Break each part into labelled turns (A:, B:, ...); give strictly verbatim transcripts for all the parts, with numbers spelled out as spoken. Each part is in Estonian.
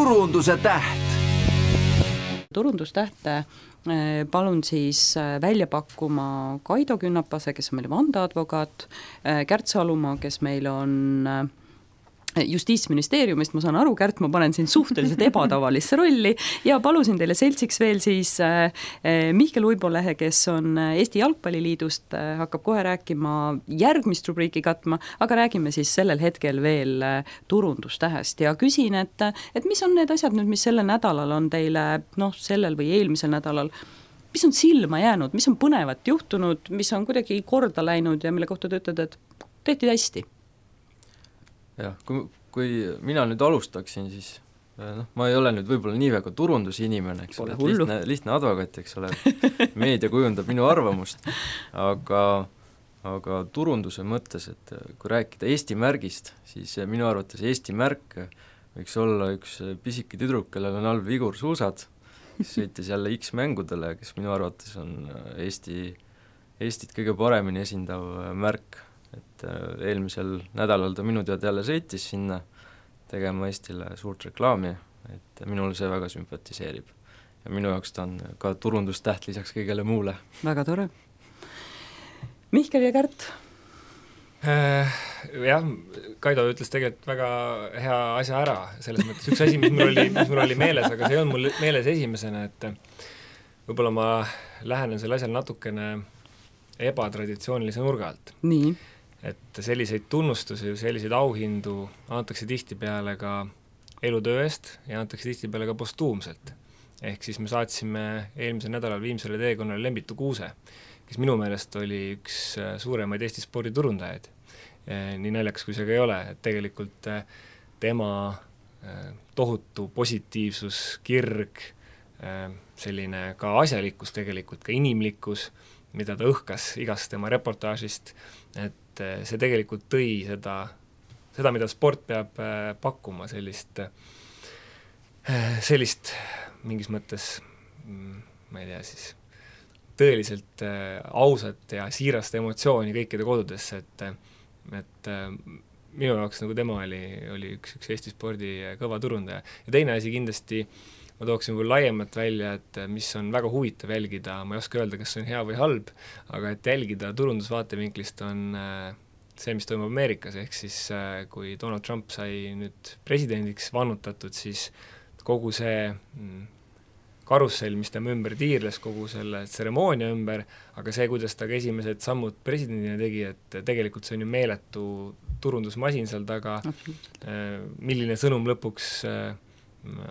A: turunduse täht.
B: Turundustähte palun siis välja pakkuma Kaido Künnapase, kes on meil vandeadvokaat, Kärt Salumaa, kes meil on Justiitsministeeriumist, ma saan aru, Kärt, ma panen siin suhteliselt ebatavalisse rolli ja palusin teile seltsiks veel siis Mihkel Uibolehe, kes on Eesti Jalgpalliliidust, hakkab kohe rääkima järgmist rubriiki katma, aga räägime siis sellel hetkel veel turundustähest ja küsin, et, et mis on need asjad nüüd, mis sellel nädalal on teile, noh, sellel või eelmisel nädalal, mis on silma jäänud, mis on põnevat juhtunud, mis on kuidagi korda läinud ja mille kohta te ütled, et tehti hästi?
C: Jah, kui, kui mina nüüd alustaksin, siis noh, ma ei ole nüüd võib-olla nii väga turundusinimene, eks ole, et lihtne, lihtne advokaat, eks ole, meedia kujundab minu arvamust, aga, aga turunduse mõttes, et kui rääkida Eesti märgist, siis minu arvates Eesti märk võiks olla üks pisike tüdruk, kellel on all vigursuusad, kes sõitis jälle X-mängudele, kes minu arvates on Eesti, Eestit kõige paremini esindav märk. Et eelmisel nädalal ta minu tead jälle sõitis sinna tegema Eestile suurt reklaami, et minule see väga sümpatiseerib. Ja minu jaoks ta on ka turundustäht lisaks kõigele muule.
B: Väga tore. Mihkel ja Kärt?
D: Äh, jah, Kaido ütles tegelikult väga hea asja ära, selles mõttes üks asi, mis mul oli, mis mul oli meeles, aga see on mul meeles esimesena, et võib-olla ma lähenen selle asjal natukene ebatraditsioonilise nurga alt.
B: Nii.
D: Et selliseid tunnustusi, selliseid auhindu antakse tihtipeale ka elutöö eest ja antakse tihtipeale ka postuumselt. Ehk siis me saatsime eelmisel nädalal viimsele teekonnale Lembitu Kuuse, kes minu meelest oli üks suuremaid Eesti sporditurundajaid. Nii naljakas, kui see ka ei ole, et tegelikult tema tohutu positiivsus, kirg, selline ka asjalikkus tegelikult, ka inimlikkus, mida ta õhkas igast tema reportaažist, et see tegelikult tõi seda, seda, mida sport peab pakkuma, sellist, sellist mingis mõttes, ma ei tea siis, tõeliselt ausat ja siirast emotsiooni kõikide kodudesse, et, et minu jaoks nagu tema oli, oli üks, üks Eesti spordi kõva turundaja. Ja teine asi kindlasti, ma tooksin võib laiemat välja, et mis on väga huvitav jälgida, ma ei oska öelda, kas see on hea või halb, aga et jälgida turundusvaatevinklist on see, mis toimub Ameerikas, ehk siis kui Donald Trump sai nüüd presidendiks vannutatud, siis kogu see karussell, mis tema ümber tiirles, kogu selle tseremoonia ümber, aga see, kuidas ta ka esimesed sammud presidendina tegi, et tegelikult see on ju meeletu turundusmasin seal taga, milline sõnum lõpuks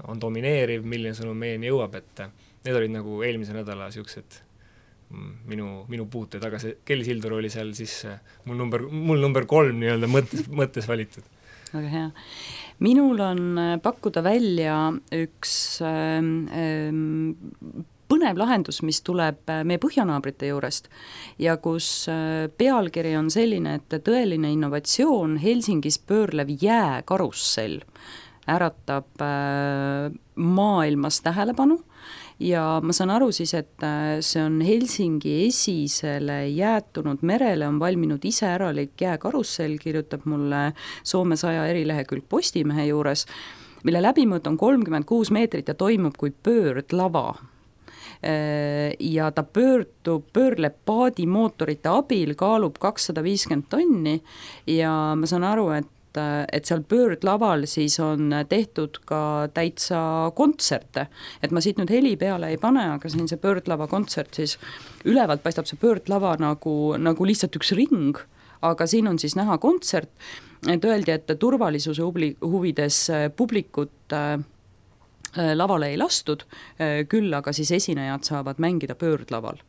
D: on domineeriv, milline sõnum meieni jõuab, et need olid nagu eelmise nädala siuksed minu, minu puuted, aga see Kelly Sildaru oli seal siis mul number, mul number kolm nii-öelda mõttes, mõttes valitud.
B: Väga hea. Minul on pakkuda välja üks ähm, põnev lahendus, mis tuleb meie põhjanaabrite juurest ja kus pealkiri on selline, et tõeline innovatsioon Helsingis pöörlev jääkarussell äratab maailmas tähelepanu ja ma saan aru siis, et see on Helsingi esisele jäätunud merele on valminud iseäralik jääkarussell, kirjutab mulle Soome saja erilehekülg Postimehe juures, mille läbimõõt on kolmkümmend kuus meetrit ja toimub kui pöördlava. Ja ta pöördub, pöörleb paadimootorite abil, kaalub kakssada viiskümmend tonni ja ma saan aru, et et seal pöördlaval siis on tehtud ka täitsa kontserte, et ma siit nüüd heli peale ei pane, aga siin see pöördlava kontsert siis ülevalt paistab see pöördlava nagu, nagu lihtsalt üks ring, aga siin on siis näha kontsert, et öeldi, et turvalisuse huvides publikut lavale ei lastud, küll aga siis esinejad saavad mängida pöördlaval.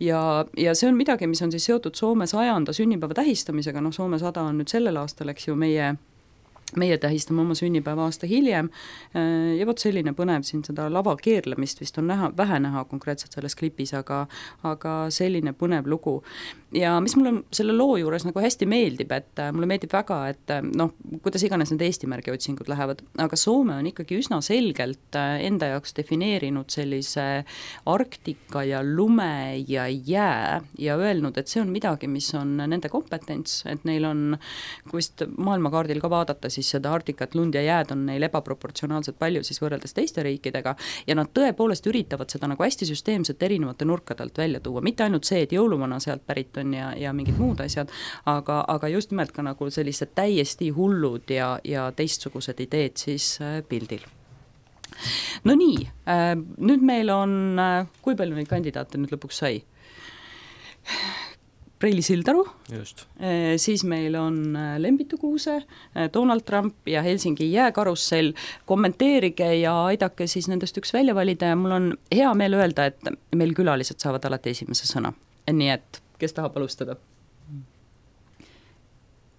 B: Ja, ja see on midagi, mis on siis seotud Soome sajanda sünnipäeva tähistamisega, noh Soome sada on nüüd sellel aastal, eks ju, meie meie tähistame oma sünnipäeva aasta hiljem ja vot selline põnev siin seda lava keerlemist vist on näha, vähe näha konkreetselt selles klipis, aga, aga selline põnev lugu. Ja mis mulle selle loo juures nagu hästi meeldib, et mulle meeldib väga, et noh, kuidas iganes need Eesti märgi otsingud lähevad, aga Soome on ikkagi üsna selgelt enda jaoks defineerinud sellise Arktika ja lume ja jää ja öelnud, et see on midagi, mis on nende kompetents, et neil on, kui vist maailmakaardil ka vaadata, siis siis seda Arktikat, lund ja jääd on neil ebaproportsionaalselt palju siis võrreldes teiste riikidega ja nad tõepoolest üritavad seda nagu hästi süsteemselt erinevate nurkadelt välja tuua, mitte ainult see, et jõuluvana sealt pärit on ja, ja mingid muud asjad, aga, aga just nimelt ka nagu sellised täiesti hullud ja, ja teistsugused ideed siis pildil. No nii, nüüd meil on, kui palju neid kandidaate nüüd lõpuks sai? Reili Sildaru,
C: just.
B: Siis meil on Lembitu Kuuse, Donald Trump ja Helsingi jääkarussell. Kommenteerige ja aidake siis nendest üks välja valida ja mul on hea meel öelda, et meil külalised saavad alati esimese sõna. Nii et, kes tahab alustada?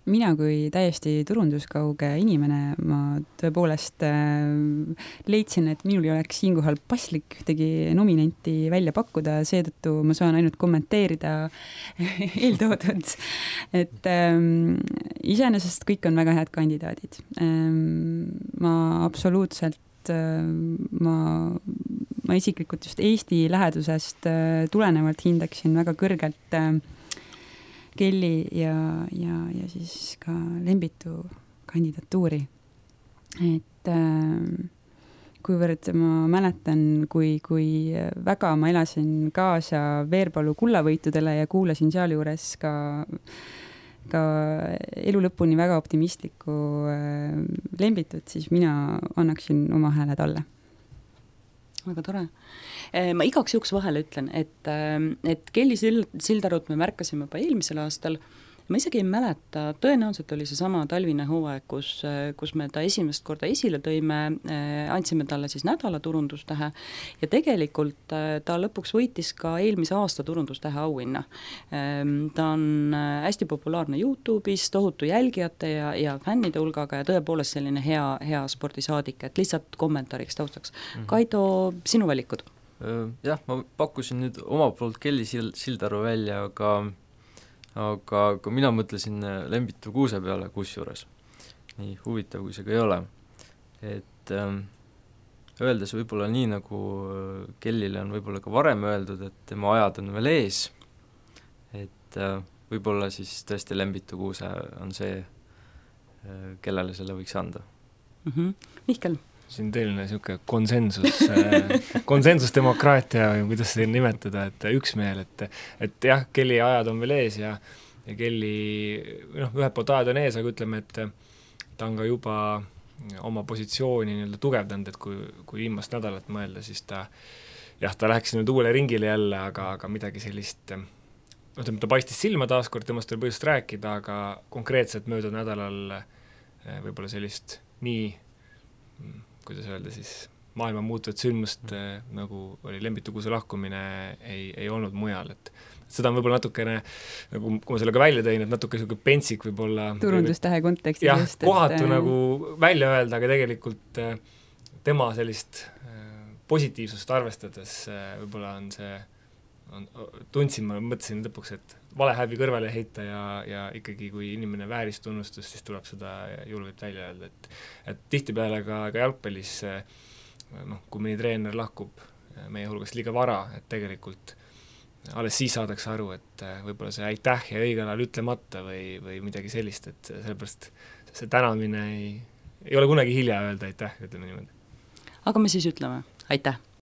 A: Mina kui täiesti turunduskauge inimene, ma tõepoolest leidsin, et minul ei oleks siinkohal paslik ühtegi nominenti välja pakkuda, seetõttu ma saan ainult kommenteerida eeltoodud, et ähm, iseenesest kõik on väga head kandidaadid. Ähm, ma absoluutselt ma, ma isiklikult just Eesti lähedusest tulenevalt hindaksin väga kõrgelt Kelly ja, ja, ja siis ka Lembitu kandidatuuri. Et äh, kuivõrd ma mäletan, kui, kui väga ma elasin kaasa Veerpalu kullavõitudele ja kuulasin sealjuures ka, ka elu lõpuni väga optimistlikku äh, Lembitut, siis mina annaksin oma hääle talle.
B: Väga tore. Ma igaks juhuks vahele ütlen, et, et Kelly Sildarut me märkasime juba eelmisel aastal. Ma isegi ei mäleta, tõenäoliselt oli see sama talvine hooaeg, kus, kus me ta esimest korda esile tõime, andsime talle siis nädala turundustähe ja tegelikult ta lõpuks võitis ka eelmise aasta turundustähe auhinna. Ta on hästi populaarne YouTube'is, tohutu jälgijate ja, ja fännide hulgaga ja tõepoolest selline hea, hea spordisaadik, et lihtsalt kommentaariks taustaks. Mm-hmm. Kaido, sinu valikud?
C: Jah, ma pakkusin nüüd oma poolt Kelly Sildaru välja, aga aga kui mina mõtlesin Lembitu Kuuse peale kusjuures, nii huvitav kui see ka ei ole, et ähm, öeldes võib-olla nii, nagu Kellile on võib-olla ka varem öeldud, et tema ajad on veel ees, et äh, võib-olla siis tõesti Lembitu Kuuse on see, äh, kellele selle võiks anda.
B: Mm-hmm. Mihkel?
D: Siin teeline niisugune konsensus, konsensusdemokraatia, kuidas seda nimetada, et üksmeel, et, et jah, Kelly ajad on veel ees ja, ja Kelly, noh, ühed poolt ajad on ees, aga ütleme, et ta on ka juba oma positsiooni nii-öelda tugevdanud, et kui, kui viimast nädalat mõelda, siis ta, jah, ta läheks nüüd uuele ringile jälle, aga, aga midagi sellist, noh, ta paistis silma taaskord, temast oli põhjust rääkida, aga konkreetselt möödunud nädalal võib-olla sellist nii kuidas öelda siis, maailma muutuvat sündmust äh, nagu oli Lembitu Kuuse lahkumine, ei, ei olnud mujal, et seda on võib-olla natukene, nagu kui ma sellega välja tõin, et natuke selline pentsik võib-olla
A: turundustähe kontekstis
D: jah,
A: just,
D: kohatu
A: et,
D: nagu välja öelda, aga tegelikult äh, tema sellist äh, positiivsust arvestades äh, võib-olla on see on, tundsin, ma mõtlesin lõpuks, et vale häbi kõrvale heita ja, ja ikkagi kui inimene vääris tunnustust, siis tuleb seda julgelt välja öelda, et, et tihtipeale ka, ka jalgpallis noh, kui mõni treener lahkub meie hulgast liiga vara, et tegelikult alles siis saadakse aru, et võib-olla see aitäh ja õigel ajal ütlemata või, või midagi sellist, et sellepärast see tänamine ei, ei ole kunagi hilja öelda aitäh, ütleme niimoodi.
B: Aga me siis ütleme aitäh!